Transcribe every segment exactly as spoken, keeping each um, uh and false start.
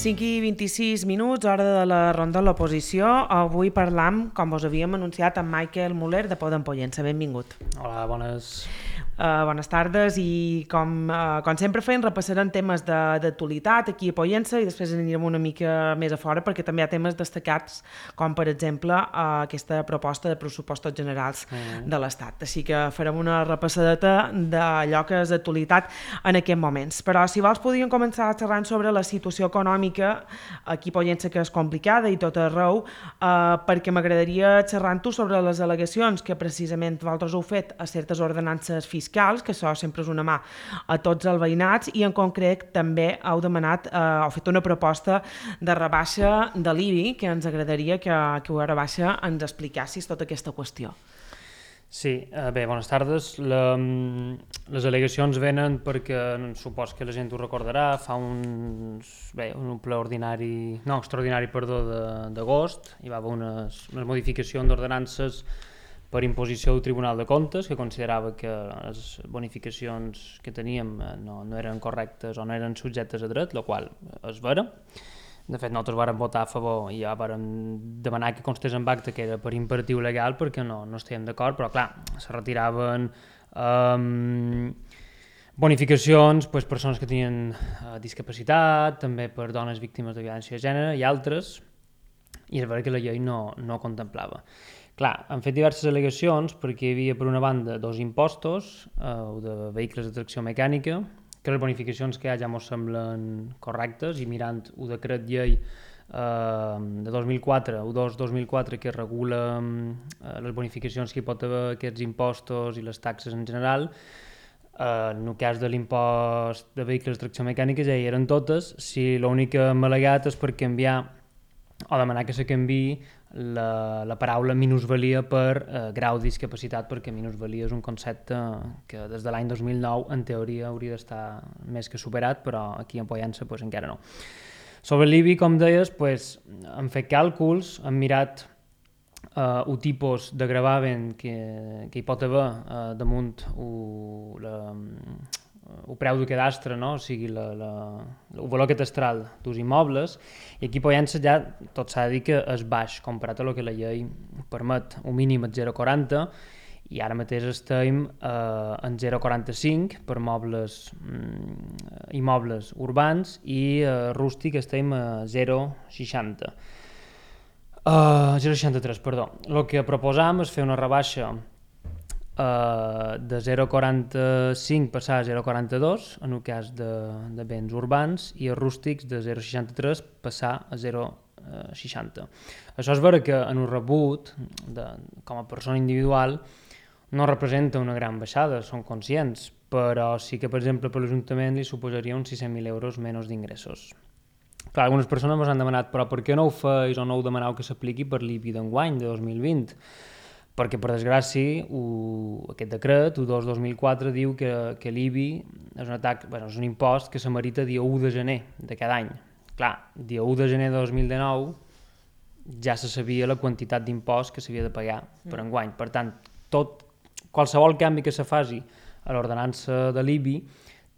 cinc i vint-i-sis minuts, hora de la ronda de l'oposició. Avui parlam, com us havíem anunciat, amb Michael Muller de Podem Pollença. Benvingut. Hola, bones... Uh, bones tardes i com, uh, com sempre fem repassarem temes d'actualitat aquí a Pollença i després anirem una mica més a fora perquè també hi ha temes destacats com per exemple uh, aquesta proposta de pressupostos generals mm. de l'Estat. Així que farem una repassadeta d'allò que és d'actualitat en aquests moments. Però si vols podríem començar xerrant sobre la situació econòmica aquí a Pollença, que és complicada i tot arreu, uh, perquè m'agradaria xerrar-tu sobre les al·legacions que precisament vosaltres heu fet a certes ordenances fiscals fiscals, que això sempre és una mà a tots els veïnats, i en concret també heu demanat, eh, heu fet una proposta de rebaixa de l'I B I, que ens agradaria que, que ho rebaixa ens explicassis tota aquesta qüestió. Sí, eh, bé, bones tardes. La, les al·legacions venen perquè, supos que la gent ho recordarà, fa uns, bé, un ple ordinari, no, extraordinari, perdó, d'agost, hi va haver unes, unes modificacions d'ordenances per imposició del Tribunal de Comptes, que considerava que les bonificacions que teníem no, no eren correctes o no eren subjectes a dret, el qual és vera. De fet, nosaltres vàrem votar a favor i ja vàrem demanar que constés en acte que era per imperatiu legal perquè no, no estàvem d'acord, però clar, se retiraven um, bonificacions per persones que tenien uh, discapacitat, també per dones víctimes de violència de gènere i altres, i és vera que la llei no, no contemplava. Clar, han fet diverses al·legacions perquè hi havia, per una banda, dos impostos, eh, de vehicles de tracció mecànica, que les bonificacions que hi ha ja ens semblen correctes, i mirant el decret llei eh, de dos mil quatre, u dos dos mil quatre, que regula eh, les bonificacions que hi pot haver, aquests impostos i les taxes en general, eh, en el cas de l'impost de vehicles de tracció mecànica ja hi eren totes, si l'únic que hem al·legat és per canviar o demanar que se canviï la, la paraula minusvalia per eh, grau de discapacitat, perquè minusvalia és un concepte que des de l'any dos mil nou en teoria hauria d'estar més que superat, però aquí en Pollença pues, encara no. Sobre l'I B I, com deies, pues, hem fet càlculs, hem mirat eh, el tipus de gravamen que, que hi pot haver eh, damunt o la, el preu de cadastre, no? O sigui, la, la, el valor catastral dels immobles, i aquí a Pollença ja tot s'ha de dir que és baix comparat a el que la llei permet, un mínim és zero coma quaranta, i ara mateix estem eh, en zero coma quaranta-cinc per mobles, mm, immobles urbans, i eh, rústic estem a zero coma seixanta. Uh, zero coma seixanta-tres, perdó. El que proposam és fer una rebaixa Uh, de zero coma quaranta-cinc passar a zero coma quaranta-dos en el cas de, de béns urbans, i els rústics de zero coma seixanta-tres passar a zero coma seixanta. Això és vera que en un rebut de, com a persona individual no representa una gran baixada, som conscients, però sí que per exemple per l'Ajuntament li suposaria uns sis-cents mil euros menys d'ingressos. Clar, algunes persones ens han demanat però per què no ho feis o no ho demaneu que s'apliqui per l'I B I d'enguany de dos mil vint? Perquè, per desgràcia, aquest decret, u dos dos mil quatre, diu que, que l'I B I és un, atac, bueno, és un impost que s'amerita dia u de gener de cada any. Clar, dia u de gener de dos mil dinou ja se sabia la quantitat d'impost que s'havia de pagar per enguany. Per tant, tot, qualsevol canvi que se faci a l'ordenança de l'I B I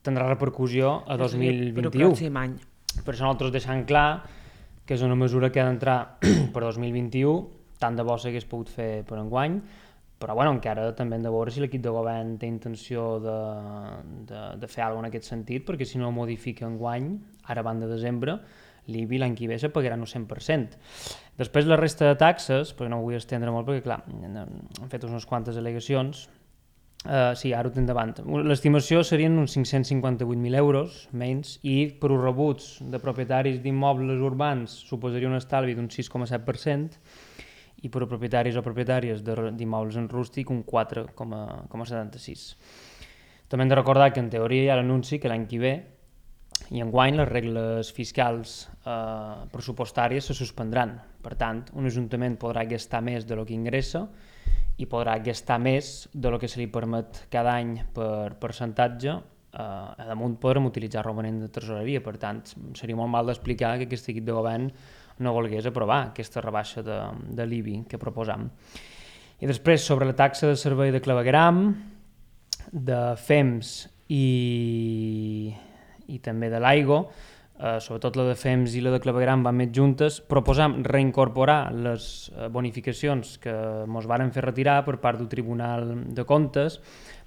tindrà repercussió a dos mil vint-i-u. Per el pròxim any. Per això nosaltres deixem clar que és una mesura que ha d'entrar per dos mil vint-i-u, tant de bo s'hagués pogut fer per enguany, però bueno, encara també hem de veure si l'equip de govern té intenció de, de, de fer alguna cosa en aquest sentit, perquè si no modifica enguany, ara van de desembre, l'I B I l'any que ve se pagarà un cent per cent. Després la resta de taxes, perquè no ho vull estendre molt, perquè clar, hem fet unes quantes al·legacions, uh, sí, ara ho tinc davant. L'estimació serien uns cinc-cents cinquanta-vuit mil euros menys, i per uns rebuts de propietaris d'immobles urbans suposaria un estalvi d'un sis coma set per cent, i per a propietaris o propietàries d'immobles en rústic un quatre coma setanta-sis. També hem de recordar que en teoria hi ha l'anunci que l'any que ve i enguany les regles fiscals eh, pressupostàries se suspendran. Per tant, un ajuntament podrà gastar més de lo que ingressa i podrà gastar més de lo que se li permet cada any per percentatge. Eh, a damunt podrem utilitzar romanent de tresoreria. Per tant, seria molt mal d'explicar que aquest equip de govern no volgués aprovar aquesta rebaixa de, de l'I B I que proposam. I després, sobre la taxa de servei de clavegueram, de F E M S i, i també de l'aigua, eh, sobretot la de Fems i la de Clavegram van més juntes, proposam reincorporar les eh, bonificacions que ens varen fer retirar per part del Tribunal de Comptes,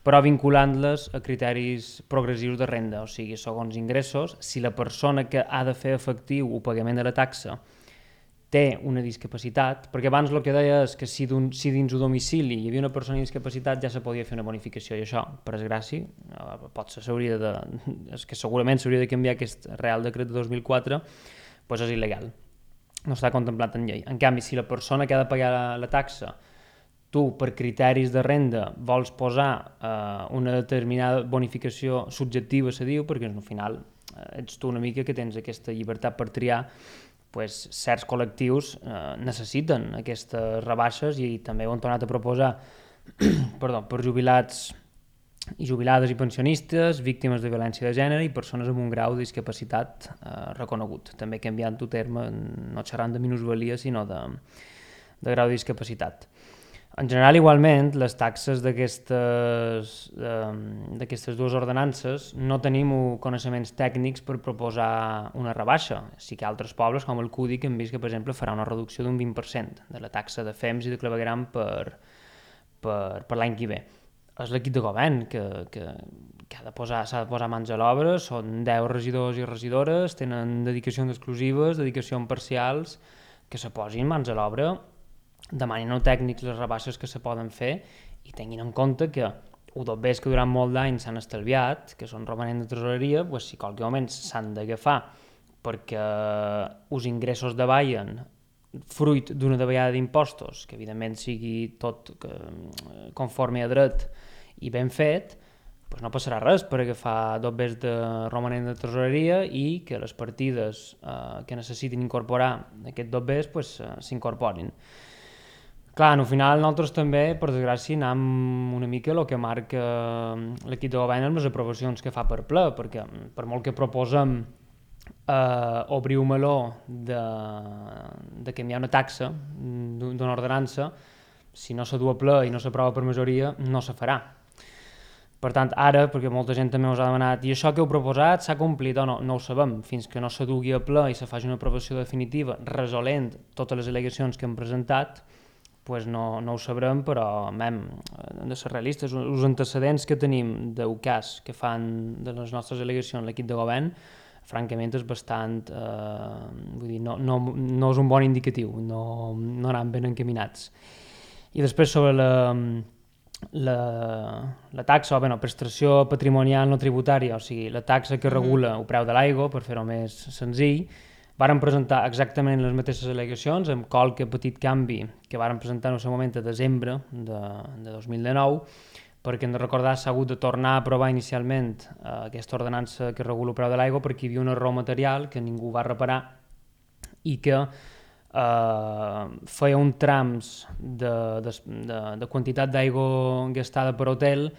però vinculant-les a criteris progressius de renda, o sigui, segons ingressos, si la persona que ha de fer efectiu el pagament de la taxa té una discapacitat, perquè abans el que deia és que si, si dins el domicili hi havia una persona amb discapacitat ja se podia fer una bonificació, i això, per desgràcia, potser s'hauria de... és que segurament s'hauria de canviar aquest Real Decret de dos mil quatre, doncs és il·legal, no està contemplat en llei. En canvi, si la persona que ha de pagar la, la taxa, tu, per criteris de renda, vols posar eh, una determinada bonificació subjectiva, se diu, perquè al final eh, ets tu una mica que tens aquesta llibertat per triar, pues, certs col·lectius eh, necessiten aquestes rebaixes i també ho han tornat a proposar perdó, per jubilats i jubilades i pensionistes, víctimes de violència de gènere i persones amb un grau de discapacitat eh, reconegut. També canviant el terme, no xerrant de minusvalia, sinó de, de grau de discapacitat. En general, igualment, les taxes d'aquestes d'aquestes dues ordenances no tenim coneixements tècnics per proposar una rebaixa. Sí que altres pobles, com el Cudi, que hem vist que, per exemple, farà una reducció d'un vint per cent de la taxa de Fems i de Clavegram per, per, per l'any que ve. És l'equip de govern que, que, que ha de posar, s'ha de posar mans a l'obra, són deu regidors i regidores, tenen dedicacions exclusives, dedicacions parcials, que se posin mans a l'obra, demanin als tècnics les rebaixes que se poden fer i tinguin en compte que els dobbers que durant molt d'anys s'han estalviat, que són romanents de tresoreria, doncs si qualque moment s'han d'agafar perquè els ingressos davallen fruit d'una davallada d'impostos, que evidentment sigui tot conforme a dret i ben fet, doncs no passarà res per agafar dobbers de romanent de tresoreria i que les partides eh, que necessitin incorporar aquests dobbers pues, eh, s'incorporin. Clar, al final nosaltres també, per desgràcia, anem una mica el que marca l'equip de govern amb les aprovacions que fa per ple, perquè per molt que proposem eh, obrir un meló de, de canviar una taxa d'una ordenança, si no se du a ple i no s'aprova per majoria, no se farà. Per tant, ara, perquè molta gent també us ha demanat i això que heu proposat s'ha complit o no? No ho sabem. Fins que no se dugui a ple i se faci una aprovació definitiva resolent totes les al·legacions que hem presentat, pues no, no ho sabrem, però hem de ser realistes. Els antecedents que tenim del cas que fan de les nostres al·legacions l'equip de govern, francament és bastant... Eh, vull dir, no, no, no és un bon indicatiu, no, no anem ben encaminats. I després sobre la, la, la taxa, o bé, no, prestació patrimonial no tributària, o sigui, la taxa que regula el preu de l'aigua, per fer-ho més senzill, varen presentar exactament les mateixes al·legacions, amb qualque petit canvi que varen presentar en el seu moment a desembre de, de dos mil dinou, perquè hem de recordar s'ha hagut de tornar a aprovar inicialment eh, aquesta ordenança que regula el preu de l'aigua perquè hi havia un error material que ningú va reparar i que eh, feia un trams de, de, de, de quantitat d'aigua gastada per hotel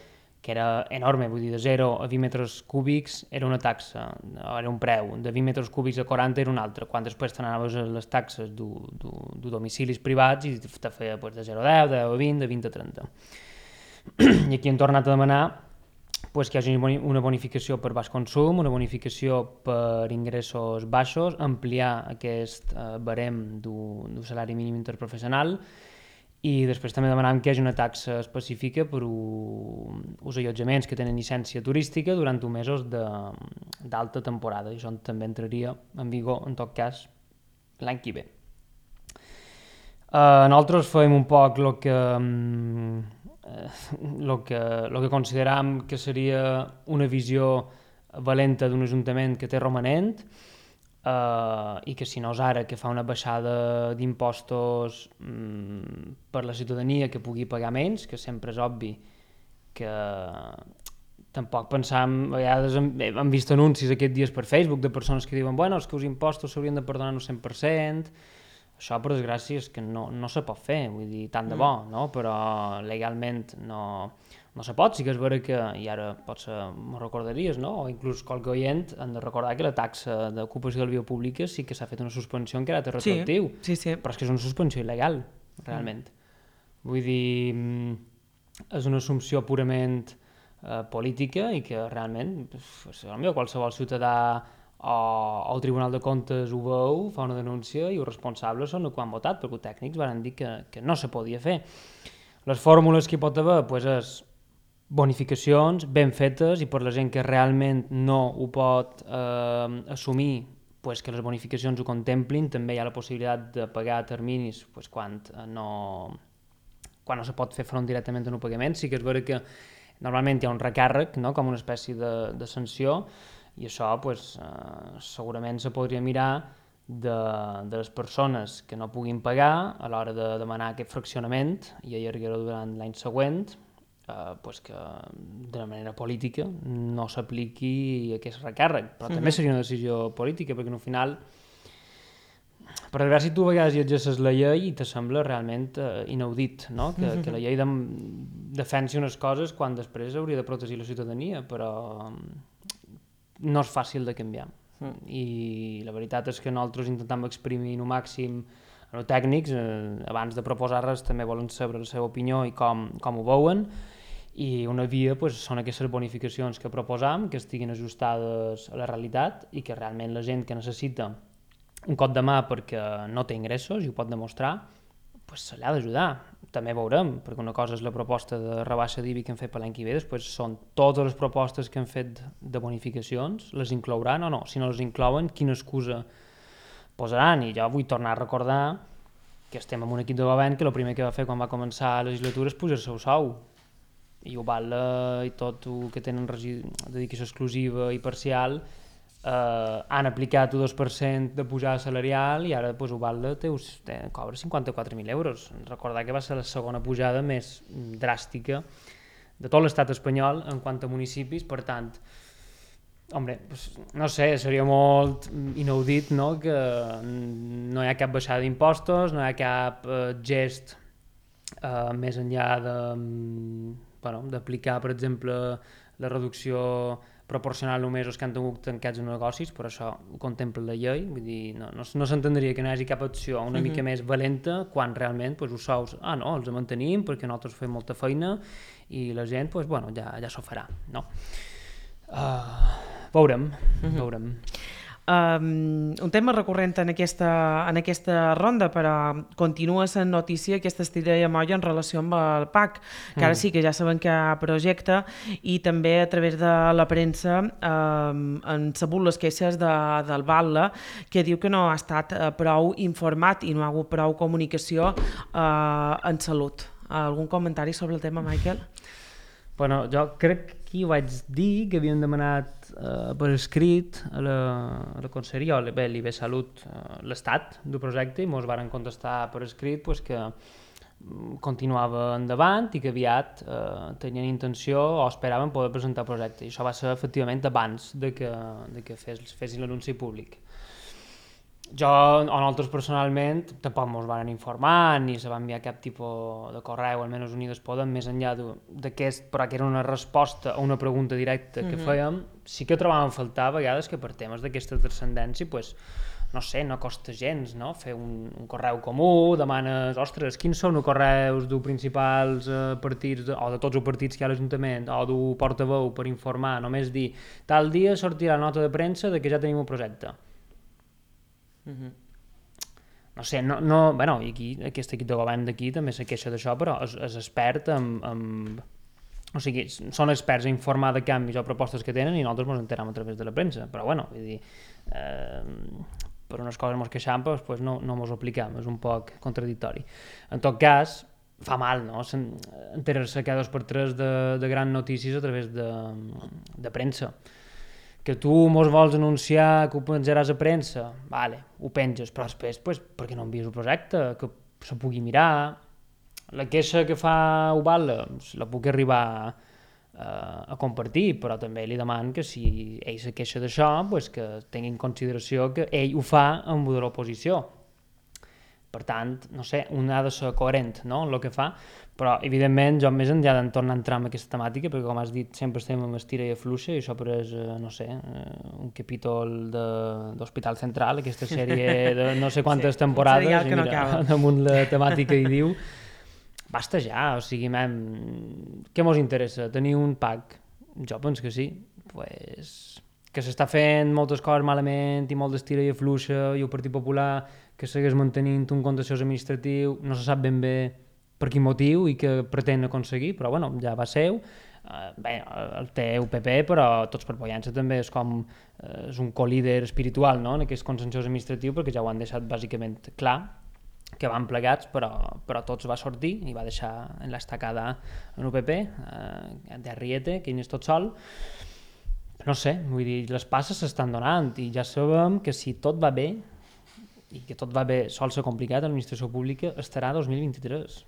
que era enorme, vull dir, de zero a vint metres cúbics era una taxa, era un preu, de vint metres cúbics a quaranta era un altre, quan després t'anaves a les taxes de domicilis privats i te feia pues, de zero a deu, de deu a vint, de vint a trenta. I aquí hem tornat a demanar pues, que hi hagi una bonificació per baix consum, una bonificació per ingressos baixos, ampliar aquest eh, barem d'un salari mínim interprofessional i després també demanàvem que hi hagi una taxa específica per als allotjaments que tenen llicència turística durant uns mesos d'alta temporada, i això també entraria en vigor, en tot cas, l'any que ve. Uh, nosaltres fem un poc el que, uh, que, que consideram que seria una visió valenta d'un ajuntament que té romanent, Uh, i que si no és ara que fa una baixada d'impostos um, per la ciutadania que pugui pagar menys, que sempre és obvi que tampoc pensam, a vegades hem, hem vist anuncis aquests dies per Facebook de persones que diuen bueno, és que els impostos s'haurien de perdonar un cent per cent, això per desgràcia és que no, no se pot fer, vull dir, tant de bo, no? Però legalment no, no se pot, sí que és vera que, i ara potser m'ho recordaries, no? O inclús qualque oient han de recordar que la taxa d'ocupació de la via pública sí que s'ha fet una suspensió en caràcter retroactiu, sí, sí, sí. Però és que és una suspensió il·legal, realment. Mm. Vull dir, és una assumpció purament eh, política i que realment potser qualsevol ciutadà o, o el Tribunal de Comptes ho veu, fa una denúncia i els responsables són els que han votat, perquè els tècnics van dir que, que no se podia fer. Les fórmules que hi pot haver pues, és bonificacions ben fetes i per la gent que realment no ho pot eh, assumir, pues, que les bonificacions ho contemplin. També hi ha la possibilitat de pagar a terminis pues, quan, no, quan no se pot fer front directament en un pagament. Sí que és vera que normalment hi ha un recàrrec, no? Com una espècie de, de sanció, i això pues, eh, segurament se podria mirar de, de les persones que no puguin pagar a l'hora de demanar aquest fraccionament i allargar-ho durant l'any següent, eh, pues que de manera política no s'apliqui aquest recàrrec. Però mm-hmm. també seria una decisió política, perquè al final, per veure si tu a vegades llegeixes la llei i te sembla realment eh, inaudit, no? que, mm-hmm. que la llei de, defensi unes coses quan després hauria de protegir la ciutadania, però no és fàcil de canviar. Mm. I la veritat és que nosaltres intentem exprimir al màxim els tècnics, eh, abans de proposar res també volen saber la seva opinió i com, com ho veuen, i una via pues, són aquestes bonificacions que proposam, que estiguin ajustades a la realitat i que realment la gent que necessita un cop de mà perquè no té ingressos i ho pot demostrar, pues, se l'ha d'ajudar. També veurem, perquè una cosa és la proposta de rebaixa d'I B I que hem fet per l'any que ve, després són totes les propostes que hem fet de bonificacions, les inclouran o no? Si no les inclouen, quina excusa posaran? I jo vull tornar a recordar que estem en un equip de govern que el primer que va fer quan va començar la legislatura és pujar-se el sou. I ho val i tot el que tenen dedicació exclusiva i parcial eh, han aplicat un dos per cent de pujada salarial i ara pues, ho val té, té, cobra cinquanta-quatre mil euros. Recordar que va ser la segona pujada més dràstica de tot l'estat espanyol en quant a municipis, per tant, hombre, pues, no sé, seria molt inaudit, no?, que no hi ha cap baixada d'impostos, no hi ha cap eh, gest eh, més enllà de, bueno, d'aplicar, per exemple, la reducció proporcional només als que han tingut tancats en negocis, però això ho contempla la llei, vull dir, no, no, no s'entendria que no hi hagi cap acció una uh-huh. mica més valenta quan realment pues, els sous, ah no, els mantenim perquè nosaltres fem molta feina i la gent, pues, bueno, ja, ja s'ho farà, no? Uh, veurem, uh-huh. veurem. Um, un tema recurrent en aquesta, en aquesta ronda, però continua sent notícia aquesta estira de molla en relació amb el P A C, que ara mm. sí que ja sabem que hi ha projecte, i també a través de la premsa um, han sabut les queixes de, del Batlle, que diu que no ha estat uh, prou informat i no ha hagut prou comunicació uh, en salut. Algun comentari sobre el tema, Michael? Bueno, jo crec que ho vaig dir, que havíem demanat eh, per escrit a la, a la Conselleria, o bé, l'I B Salut, eh, l'estat del projecte, i ens varen contestar per escrit pues, que continuava endavant i que aviat eh, tenien intenció o esperaven poder presentar el projecte. I això va ser efectivament abans de que, de que fes, fessin l'anunci públic. Jo, o nosaltres personalment, tampoc ens van informar ni se va enviar cap tipus de correu, almenys Unides Podem, més enllà d'aquest, però que era una resposta a una pregunta directa que mm-hmm. fèiem. Sí que trobàvem a faltar a vegades que per temes d'aquesta transcendència, pues, no sé, no costa gens, no? Fer un, un correu comú, demanes, ostres, quins són els correus dels principals eh, partits, de, o de tots els partits que hi ha a l'Ajuntament, o del portaveu per informar, només dir, tal dia sortirà nota de premsa de que ja tenim un projecte. Uh-huh. No sé, no, no, bueno, i aquí, aquest equip de govern d'aquí també se queixa d'això, però és, és expert en, en, o sigui, són experts a informar de canvis o propostes que tenen i nosaltres ens enteram a través de la premsa, però bueno, vull dir, eh, per unes coses ens queixam, però després no, no ens ho apliquem, és un poc contradictori. En tot cas, fa mal, no?, enterar-se cada dos per tres de, de grans notícies a través de, de premsa. Que tu mos vols anunciar que ho penjaràs a premsa, vale, ho penges, però després, pues, per què no envies el projecte, que se pugui mirar. La queixa que fa el Batlle la puc arribar eh, a compartir, però també li deman que si ell se queixa d'això, pues, que tingui en consideració que ell ho fa amb de l'oposició. Per tant, no sé, un ha de ser coherent, no?, en el que fa, però evidentment jo més enllà de tornar a entrar en aquesta temàtica, perquè com has dit sempre estem amb estira i afluixa i això però és, no sé, un capítol de, d'Hospital Central, aquesta sèrie de no sé quantes sí, temporades i mira, no damunt la temàtica hi diu basta ja, o sigui, mem, què mos interessa? Tenir un P A C? Jo penso que sí, pues que s'està fent moltes coses malament i molt d'estira i afluixa, i el Partit Popular que segueix mantenint un contenciós administratiu, no se sap ben bé per quin motiu i que pretén aconseguir, però bueno, ja va seu. Uh, bé, el té el P P, però Tots per Pollença també és com uh, és un co-líder espiritual, no?, en aquest contenciós administratiu, perquè ja ho han deixat bàsicament clar, que van plegats, però, però Tots va sortir i va deixar en l'estacada en U P P, uh, de Arrieta, que és tot sol. No sé, vull dir, les passes s'estan donant i ja sabem que si tot va bé, i que tot va bé sol ser complicat, l'administració pública estarà dos mil vint-i-tres.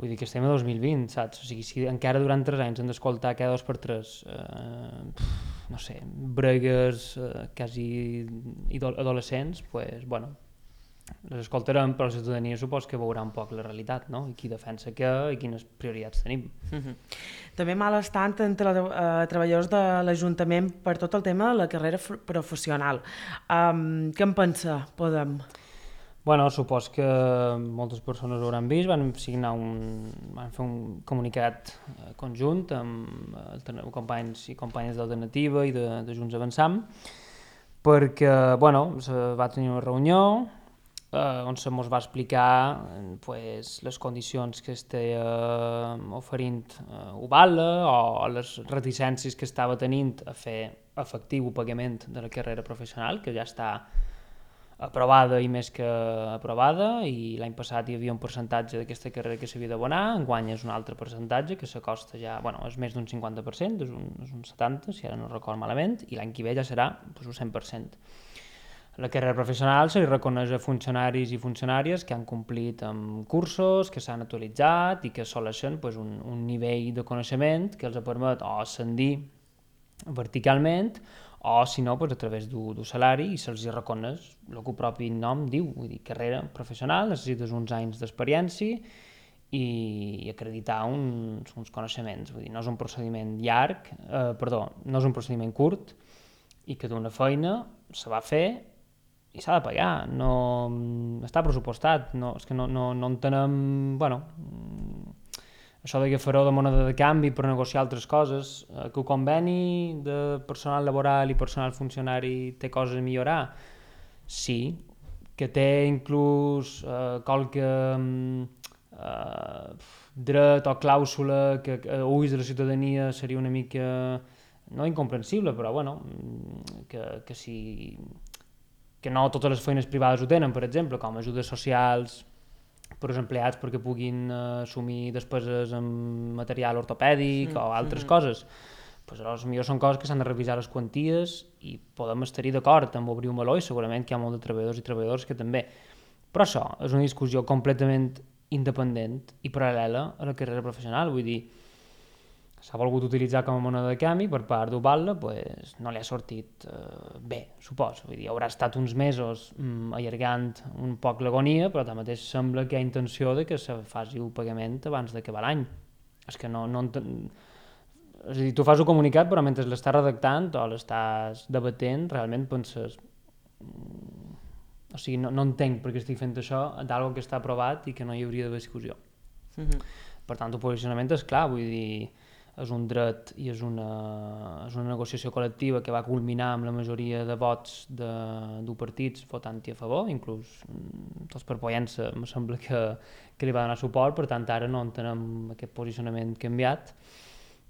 Vull dir que estem a dos mil vint, saps? O sigui, si encara durant tres anys hem d'escoltar cada dos per tres, eh, no sé, bregues eh, quasi adolescents, pues, bueno, les escoltarem, però la ciutadania supos que veurà un poc la realitat, no? I qui defensa què i quines prioritats tenim. Uh-huh. També malestant entre uh, treballadors de l'Ajuntament per tot el tema de la carrera professional. Um, què en pensa, Podem? Bueno, supos que moltes persones ho hauran vist, van signar un, van fer un comunicat conjunt amb eh, companys i companyes d'Alternativa i de, de Junts Avançam, perquè, bueno, se va tenir una reunió eh, on se mos va explicar pues, les condicions que estava eh, oferint eh, Ubala o les reticències que estava tenint a fer efectiu el pagament de la carrera professional, que ja està aprovada i més que aprovada, i l'any passat hi havia un percentatge d'aquesta carrera que s'havia d'abonar, enguany és un altre percentatge que s'acosta ja, bueno, és més d'un cinquanta per cent, és un, és un setanta per cent, si ara no record malament, i l'any que ve ja serà pues, un cent per cent. La carrera professional se li reconeix a funcionaris i funcionàries que han complit amb cursos, que s'han actualitzat i que assoleixen pues, un, un nivell de coneixement que els permet o ascendir verticalment o, si no, pues, a través d'un salari, i se'ls reconeix el que el propi nom diu, vull dir, carrera professional, necessites uns anys d'experiència i, i acreditar uns, uns coneixements. Vull dir, no és un procediment llarg, eh, perdó, no és un procediment curt, i que d'una feina se va fer i s'ha de pagar, no està pressupostat, no, és que no, no, no entenem, bueno, això de que fareu de moneda de canvi per negociar altres coses, eh, que el conveni de personal laboral i personal funcionari té coses a millorar, sí, que té inclús eh, qualque eh, dret o clàusula que a ulls de la ciutadania seria una mica, no incomprensible, però bueno, que, que si que no totes les feines privades ho tenen, per exemple, com ajudes socials per als empleats perquè puguin uh, assumir despeses amb material ortopèdic mm. o altres mm-hmm. coses. Pues, aleshores, millor són coses que s'han de revisar les quanties i podem estar-hi d'acord amb obrir un meló, i segurament que hi ha molt de treballadors i treballadors que també. Però això és una discussió completament independent i paral·lela a la carrera professional. Vull dir, s'ha volgut utilitzar com a moneda de canvi per part d'Ubala, pues, no li ha sortit eh, bé, supos. Vull dir, haurà estat uns mesos mm, allargant un poc l'agonia, però tanmateix sembla que hi ha intenció de que se faci el pagament abans d'acabar l'any. És que no... no és a dir, tu fas un comunicat, però mentre l'estàs redactant o l'estàs debatent, realment penses... Mm, o sigui, no, no entenc per què estic fent això d'algo que està aprovat i que no hi hauria d'haver discussió. Mm-hmm. Per tant, el posicionament és clar, vull dir... és un dret i és una, és una negociació col·lectiva que va culminar amb la majoria de vots de, de partits votant-hi a favor, inclús Tots per Pollença em sembla que, que li va donar suport, per tant ara no entenem aquest posicionament canviat.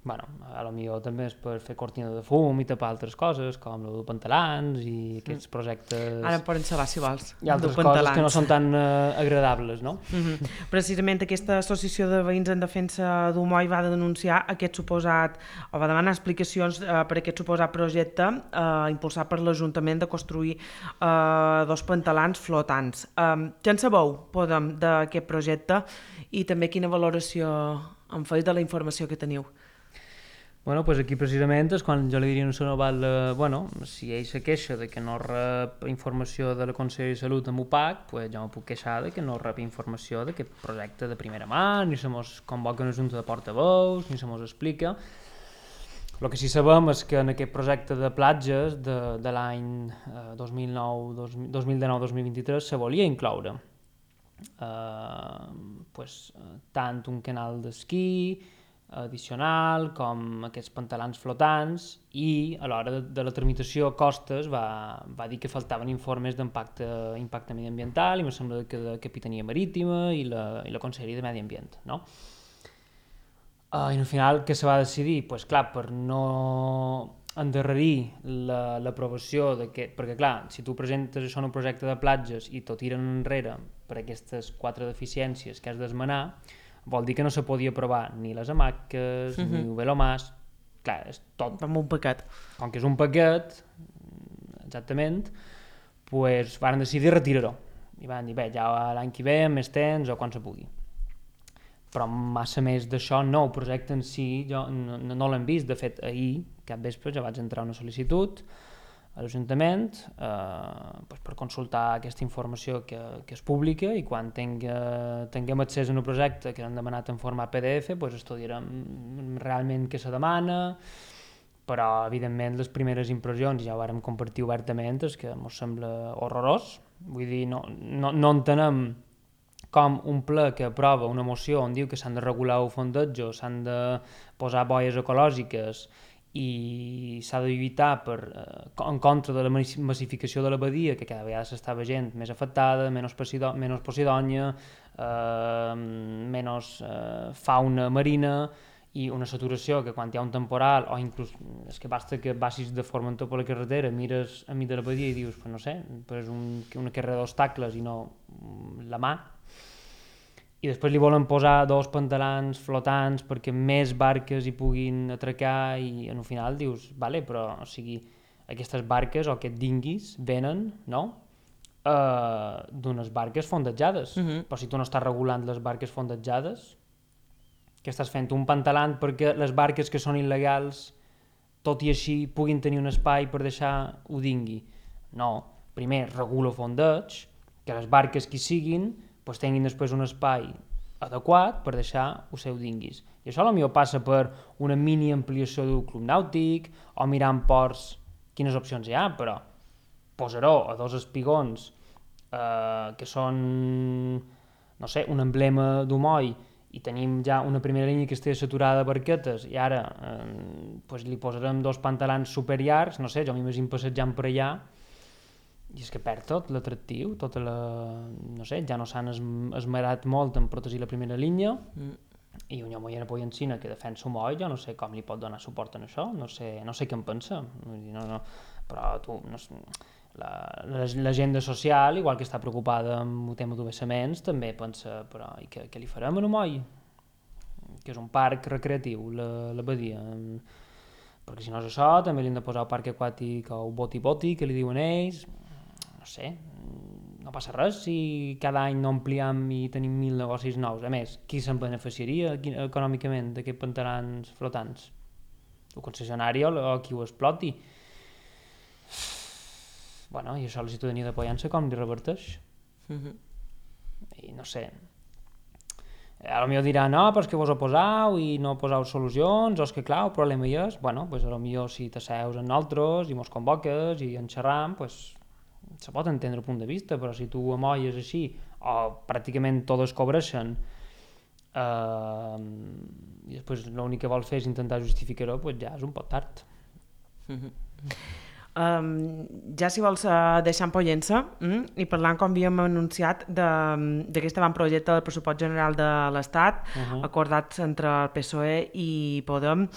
Bueno, a lo millor també és per fer cortina de fum i tapar altres coses, com el de pantalans i aquests projectes... Ara em poden xalar, si vols. I altres coses que no són tan uh, agradables, no? Mm-hmm. Precisament aquesta associació de veïns en defensa d'Humoi va denunciar aquest suposat, o va demanar explicacions uh, per aquest suposat projecte uh, impulsat per l'Ajuntament de construir uh, dos pantalans flotants. Um, què en sabeu, Podem, d'aquest projecte, i també quina valoració en feu de la informació que teniu? Bueno, pues aquí precisament és quan jo li diria a un Oval, eh, bueno, si ell se queixa de que no rep informació de la Conselleria de Salut amb U P A C, pues jo me puc queixar de que no rep informació d'aquest projecte de primera mà, ni se mos convoca una junta de portaveus, ni se mos explica. El que sí sabem és que en aquest projecte de platges de, de l'any eh, dos mil nou dos mil dinou dos mil vint-i-tres se volia incloure eh, pues, tant un canal d'esquí, addicional, com aquests pantalans flotants, i a l'hora de, de la tramitació a Costes va, va dir que faltaven informes d'impacte impacte mediambiental, i em sembla que de Capitania Marítima i la, i la Conselleria de Medi Ambient, no? Uh, I al final què se va decidir? Pues, clar, per no endarrerir l'aprovació d'aquest, perquè clar, si tu presentes això en un projecte de platges i tot tiren enrere per aquestes quatre deficiències que has d'esmenar, vol dir que no se podia aprovar ni les hamaques, uh-huh. ni el velomàs, clar, és tot. Amb un paquet. Com que és un paquet, exactament, pues van decidir retirar-ho. I van dir, bé, ja l'any que ve, amb més temps o quan se pugui. Però massa més d'això no, el projecte en si jo no, no l'hem vist. De fet, ahir, cap vespre, ja vaig entrar una sol·licitud a l'Ajuntament eh, pues per consultar aquesta informació que, que és pública, i quan tenga, tinguem accés a un projecte que hem demanat en format P D F, pues estudiarem realment què se demana, però evidentment les primeres impressions, ja ho vàrem compartir obertament, és que ens sembla horrorós. Vull dir, no, no, no entenem com un ple que aprova una moció on diu que s'han de regular el fondeig, s'han de posar boies ecològiques i s'ha de lluitar per, eh, en contra de la massificació de la badia, que cada vegada s'està veient més afectada, menys, Posido menys Posidonia, eh, menys eh, fauna marina, i una saturació que quan hi ha un temporal, o inclús és que basta que passis de Formentor per la carretera, mires a mi de la badia i dius, pues no sé, pues un, una carrera d'obstacles i no la mà, i després li volen posar dos pantalans flotants perquè més barques hi puguin atracar, i en el final dius, vale, però o sigui, aquestes barques o aquests dinguis venen, no?, uh, d'unes barques fondejades, uh-huh. Però si tu no estàs regulant les barques fondejades, que estàs fent un pantalant perquè les barques que són il·legals, tot i així, puguin tenir un espai per deixar-ho dingui. No, primer regula el fondeig, que les barques que siguin pues, tinguin després un espai adequat per deixar els seus dinguis. I això potser passa per una mini ampliació del club nàutic, o mirar en ports quines opcions hi ha, però posar-ho a dos espigons eh, que són, no sé, un emblema d'Humoi, i tenim ja una primera línia que estigui saturada de barquetes, i ara eh, pues li posarem dos pantalans superllargs, no sé, jo m'imagino passejant per allà, i és que perd tot l'atractiu, tota la... no sé, ja no s'han esmerat molt en protegir la primera línia, mm. i un home a Poiencina que defensa un moll, jo no sé com li pot donar suport en això, no sé, no sé què en pensa, no, no, però tu, no sé, l'agenda social, igual que està preocupada amb el tema d'obessaments, també pensa, però i què, què li farem a un moll? Que és un parc recreatiu, la, la badia, perquè si no és això, també li hem de posar el parc aquàtic o el boti-boti, que li diuen ells, no sé, no passa res si cada any no ampliem i tenim mil negocis nous. A més, qui se'n beneficiaria econòmicament d'aquests pantalans flotants? El concessionari o qui ho exploti? Bueno, i això la ciutadania de Pollença com li reverteix? Mm-hmm. I no sé, a lo millor dirà, no, però és que vos oposau i no poseu solucions, o és que clar, el problema hi és, bueno, pues a lo millor si t'asseus amb nosaltres i mos convoques i en xerram, pues se pot entendre el punt de vista, però si tu amolles així, o pràcticament totes cobreixen, eh, i després l'únic que vol fer és intentar justificar-ho, pues ja és un poc tard. Mm-hmm. Um, ja si vols uh, deixar en Pollença mm, i parlant com havíem anunciat d'aquest avantprojecte del pressupost general de l'Estat, uh-huh. acordats entre el P S O E i Podem,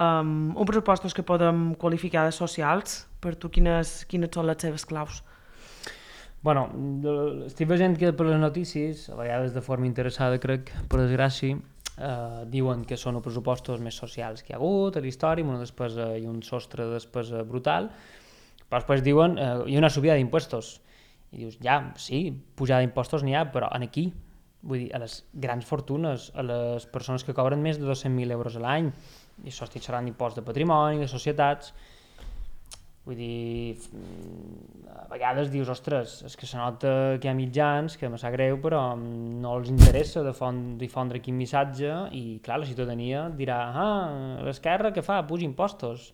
um, uns pressupostos que podem qualificar de socials. Per tu quines, quines són les seves claus? Bueno, estic veient que per les notícies, a vegades de forma interessada crec, per desgràcia, eh, diuen que són els pressupostos més socials que hi ha hagut a la història, amb una despesa i un sostre de despesa brutal, però després diuen eh, hi ha una subida d'impostos. I dius, ja, sí, pujada d'impostos n'hi ha, però en aquí, vull dir, a les grans fortunes, a les persones que cobren més de dos-cents mil euros a l'any, i això estic xerrant d'impost de patrimoni, de societats. Vull dir, a vegades dius, ostres, és que se nota que hi ha mitjans, que me sap greu, però no els interessa difondre quin missatge, i clar, la ciutadania dirà, ah, l'esquerra què fa? Puja impostos.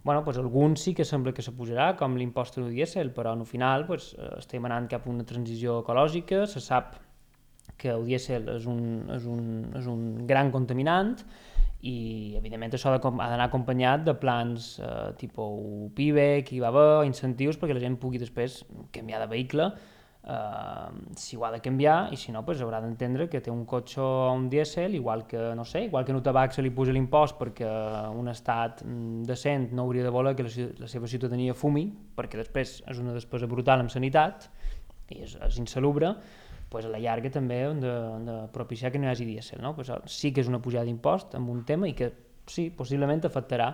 Bueno, doncs alguns sí que sembla que se pujarà, com l'impost del dièsel, però al final doncs, estem anant cap a una transició ecològica, se sap que el dièsel és un, és un, és un gran contaminant, i evidentment això ha d'anar acompanyat de plans eh, tipus PIBE, que hi va haver, incentius perquè la gent pugui després canviar de vehicle Uh, si ho ha de canviar, i si no, pues, haurà d'entendre que té un cotxe o un dièsel, igual que, no sé, igual que en un tabac se li puja l'impost perquè un estat decent no hauria de voler que la, la seva ciutadania fumi, perquè després és una despesa brutal en sanitat i és, és insalubre, pues a la llarga també hem de, hem de propiciar que no hi hagi dièsel, no? Pues, sí que és una pujada d'impost amb un tema i que sí, possiblement afectarà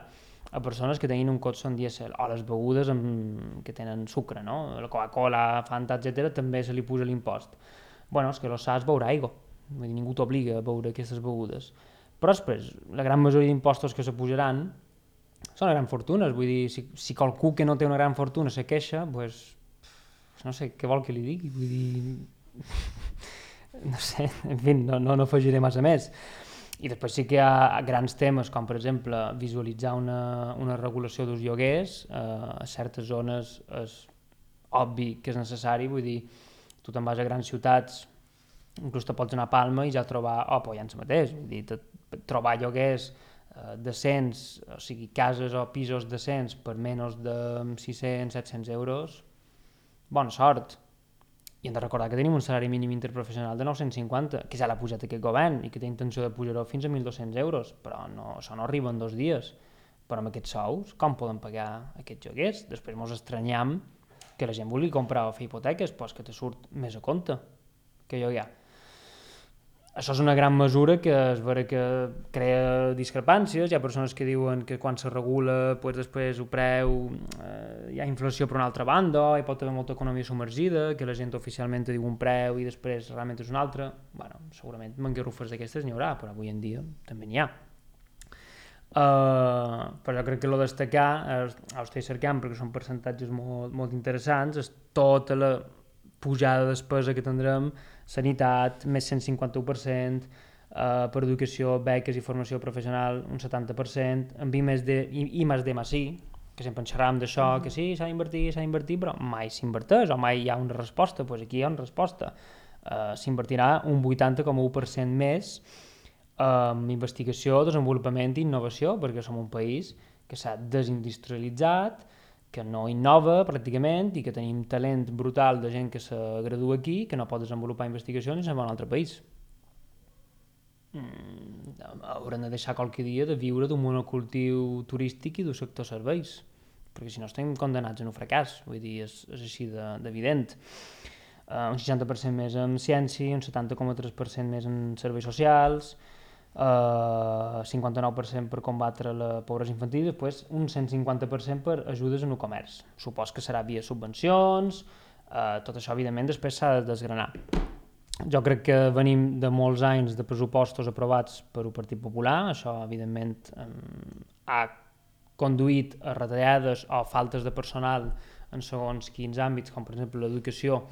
a persones que tenen un cotxe en dièsel, o les begudes amb, que tenen sucre, no? La Coca-Cola, Fanta, etcètera, també se li puja l'impost. Bueno, és que lo saps beure aigua, vull dir, ningú t'obliga a beure aquestes begudes. Però després, la gran majoria d'impostos que se pujaran són grans fortunes, vull dir, si, si qualcú que no té una gran fortuna se queixa, pues, no sé, què vol que li digui? Vull dir, no sé, en fi, no, no, no afegiré massa més. I després sí que hi ha grans temes, com per exemple visualitzar una, una regulació dels lloguers, eh, a certes zones és obvi que és necessari, vull dir, tu te'n vas a grans ciutats, inclús te pots anar a Palma i ja trobar, oh, però ja ens mateix, vull dir, te, trobar lloguers eh, decents, o sigui, cases o pisos decents per menys de sis-cents set-cents euros, bona sort. I hem de recordar que tenim un salari mínim interprofessional de nou-cents cinquanta, que ja l'ha pujat aquest govern i que té intenció de pujar-ho fins a mil dos-cents euros, però no, això no arriba en dos dies. Però amb aquests sous, com poden pagar aquests lloguers? Després ens estranyam que la gent vulgui comprar o fer hipoteques, però és que te surt més a compte que lloguer. Això és una gran mesura que és vera que crea discrepàncies, hi ha persones que diuen que quan se regula pues, després el preu eh, hi ha inflació per una altra banda, hi pot haver molta economia submergida, que la gent oficialment diu un preu i després realment és un altre. Bueno, segurament mangarrufes d'aquestes n'hi haurà, però avui en dia també n'hi ha. Uh, però jo crec que el destacar, eh, ho estic cercant perquè són percentatges molt, molt interessants, és tota la pujada de despesa que tindrem, sanitat, més cent cinquanta-u per cent, eh, per educació, beques i formació professional, un setanta per cent, en I més D, I, I més D més I, que sempre en xerràvem d'això, mm-hmm. que sí, s'ha d'invertir, s'ha d'invertir, però mai s'inverteix, o mai hi ha una resposta, doncs aquí hi ha una resposta. Eh, s'invertirà un vuitanta coma u per cent més en investigació, desenvolupament i innovació, perquè som un país que s'ha desindustrialitzat, que no innova pràcticament i que tenim talent brutal de gent que se gradua aquí, que no pot desenvolupar investigacions i se'n va a un altre país. Mm, haurem de deixar qualque dia de viure d'un monocultiu turístic i d'un sector serveis, perquè si no estem condemnats a un fracàs, vull dir, és, és així d'evident. Uh, un seixanta per cent més en ciència, un setanta coma tres per cent més en serveis socials, Uh, cinquanta-nou per cent per combatre la pobresa infantil i després un cent cinquanta per cent per ajudes en el comerç. Supos que serà via subvencions, uh, tot això evidentment després s'ha de desgranar. Jo crec que venim de molts anys de pressupostos aprovats per el Partit Popular, això evidentment um, ha conduït a retallades o faltes de personal en segons quins àmbits, com per exemple l'educació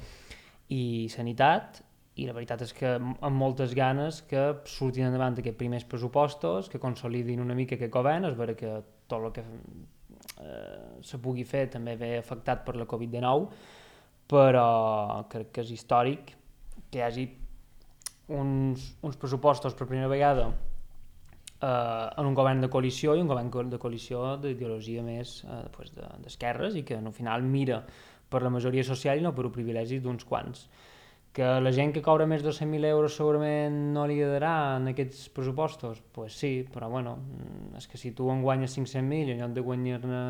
i sanitat, i la veritat és que amb moltes ganes que surtin endavant aquests primers pressupostos, que consolidin una mica aquest govern, és vera que tot el que eh, se pugui fer també ve afectat per la covid dinou, però crec que és històric que hi hagi uns, uns pressupostos per primera vegada eh, en un govern de coalició i un govern de coalició d'ideologia més eh, pues de, d'esquerres i que al final mira per la majoria social i no per un privilegi d'uns quants. Que la gent que cobra més de cent mil euros segurament no li agradarà en aquests pressupostos? Doncs pues sí, però bueno, és que si tu en guanyes cinc-cents mil i en lloc de guanyar-ne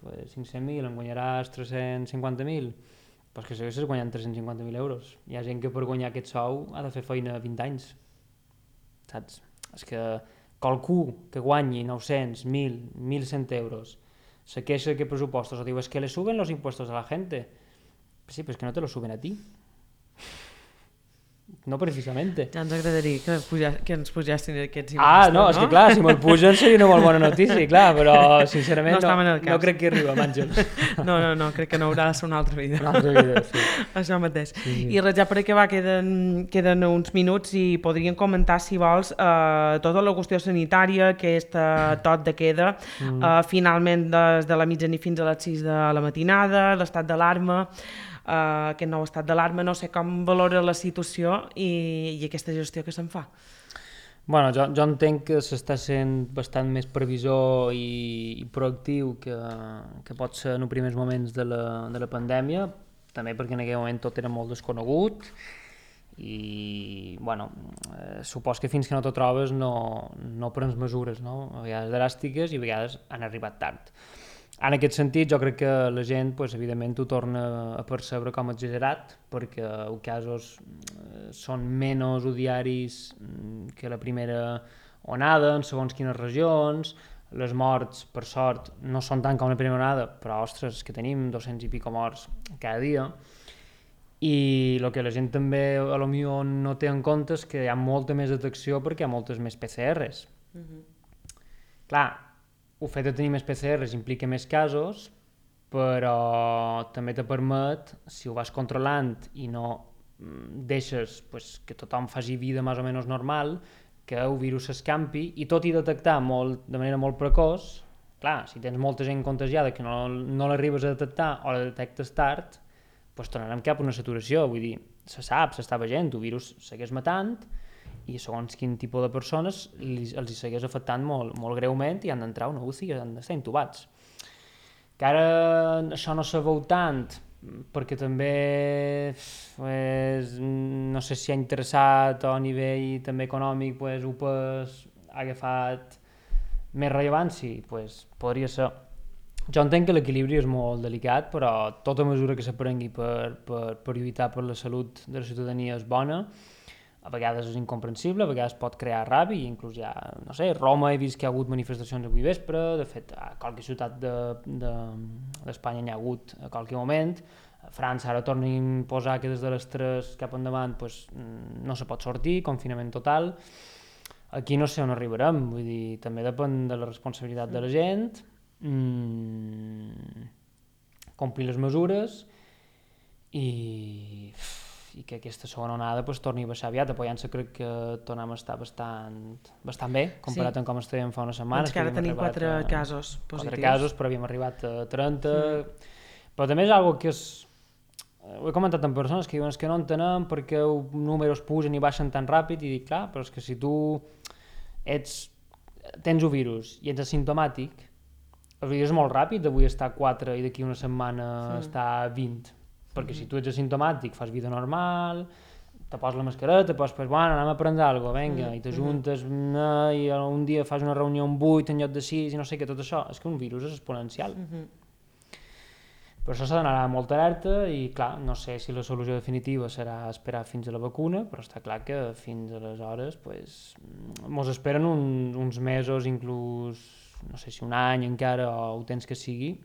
pues, cinc-cents mil en guanyaràs tres-cents cinquanta mil, doncs que segueixes guanyant tres-cents cinquanta mil euros. Hi ha gent que per guanyar aquest sou ha de fer feina vint anys, saps? És que qualcú que guanyi nou-cents, mil, mil cent euros se queixa que pressupostos o diu es que le suben los impuestos a la gente. Pues sí, però és que no te lo suben a ti. No precisamente. Ja ens agradaria que, puja, que ens pugessin aquests impostos, ah, no, no? És que clar, si me'l pugen seria una molt bona notícia, clar, però sincerament no, no, no crec que arriba, Àngel. No, no, no, crec que no haurà de ser una altra vida. Una altra vida, sí. Això mateix. Sí, sí. I res, ja per acabar, queden, queden uns minuts i podríem comentar, si vols, eh, tota la qüestió sanitària, que és tot de queda, mm. eh, finalment des de la mitjanit fins a les sis de la matinada, l'estat d'alarma, Uh, aquest nou estat d'alarma, no sé com valora la situació i, i aquesta gestió que se'n fa. Bueno, jo, jo entenc que s'està sent bastant més previsor i, i proactiu que, que pot ser en els primers moments de la, de la pandèmia, també perquè en aquell moment tot era molt desconegut i, bueno, eh, supos que fins que no t'ho trobes no, no prens mesures, no? A vegades dràstiques i a vegades han arribat tard. En aquest sentit, jo crec que la gent, pues, evidentment, ho torna a percebre com a exagerat, perquè els casos són menys odiaris que la primera onada en segons quines regions, les morts, per sort, no són tant com la primera onada, però, ostres, que tenim dos-cents i pico morts cada dia, i el que la gent també a lo millor no té en compte és que hi ha molta més detecció perquè hi ha moltes més P C Rs. Mm-hmm. Clar, el fet de tenir més P C Rs implica més casos, però també te permet, si ho vas controlant i no deixes pues, que tothom faci vida més o menys normal, que el virus s'escampi i tot i detectar molt, de manera molt precoç, clar, si tens molta gent contagiada que no, no l'arribes a detectar o la detectes tard, pues tornarem cap a una saturació, vull dir, se sap, s'està veient, el virus segueix matant, i segons quin tipus de persones els hi segueix afectant molt, molt greument i han d'entrar a una U C I i han d'estar intubats. Que ara això no se veu tant perquè també pues, no sé si ha interessat a nivell també econòmic pues, U P E S ha agafat més rellevància, pues, podria ser. Jo entenc que l'equilibri és molt delicat, però tota mesura que s'aprengui per, per, per lluitar per la salut de la ciutadania és bona. A vegades és incomprensible, a vegades pot crear ràbia, i inclús ja, no sé, Roma he vist que hi ha hagut manifestacions avui vespre, de fet, a qualque ciutat d'Espanya de, de, n'hi ha hagut a qualque moment, a França ara tornen a imposar que des de les tres cap endavant pues, no se pot sortir, confinament total. Aquí no sé on arribarem, vull dir, també depèn de la responsabilitat de la gent, mm, complir les mesures i... i que aquesta segona onada pues, torni a baixar aviat. A Pollença crec que tornem a estar bastant, bastant bé, comparat sí. amb com estàvem fa unes setmanes. Doncs que ara tenim quatre a, casos positius. Quatre casos, però havíem arribat a trenta. Mm. Però també és una que és... Ho he comentat amb persones que diuen que no entenem perquè els números pugen i baixen tan ràpid, i dic, clar, però és que si tu ets, tens el virus i ets asimptomàtic, el virus és molt ràpid, d'avui està a quatre i d'aquí una setmana mm. està a vint. Perquè si tu ets asimptomàtic, fas vida normal, te poses la mascareta, pues, pues bueno, anem a prendre alguna cosa, vinga, mm. i t'ajuntes, mm. i un dia fas una reunió amb vuit en lloc de sis, i no sé què, tot això, és que un virus és exponencial. Mm-hmm. Per això s'ha d'anar molt alerta, i clar, no sé si la solució definitiva serà esperar fins a la vacuna, però està clar que fins aleshores, pues, mos esperen un, uns mesos, inclús, no sé si un any encara, o el temps que sigui,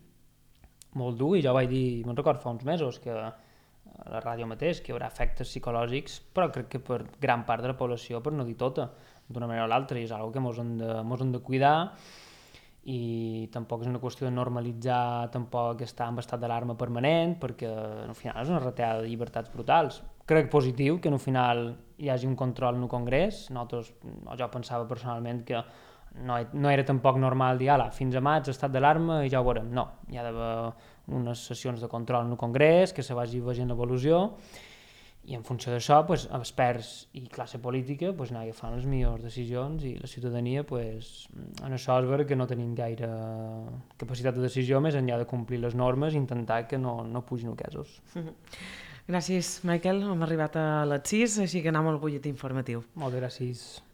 molt dur, i jo vaig dir, me'n record fa uns mesos, que a la ràdio mateix, que hi haurà efectes psicològics, però crec que per gran part de la població, per no dir tota, d'una manera o l'altra, i és una cosa que mos hem de, mos hem de cuidar, i tampoc és una qüestió de normalitzar tampoc estar en estat d'alarma permanent, perquè al final és una retallada de llibertats brutals. Crec positiu que al final hi hagi un control en el Congrés. Nosaltres, jo pensava personalment que No, no era tampoc normal dir, ala, fins a maig estat d'alarma i ja ho veurem. No, hi ha d'haver unes sessions de control en el Congrés, que se vagi veient l'evolució, i en funció d'això, pues, experts i classe política pues, anar agafant les millors decisions, i la ciutadania, pues, en això és vera que no tenim gaire capacitat de decisió més enllà de complir les normes i intentar que no, no pugin els casos. Gràcies, Michael. Hem arribat a les sis, així que anem al butlletí informatiu. Moltes gràcies.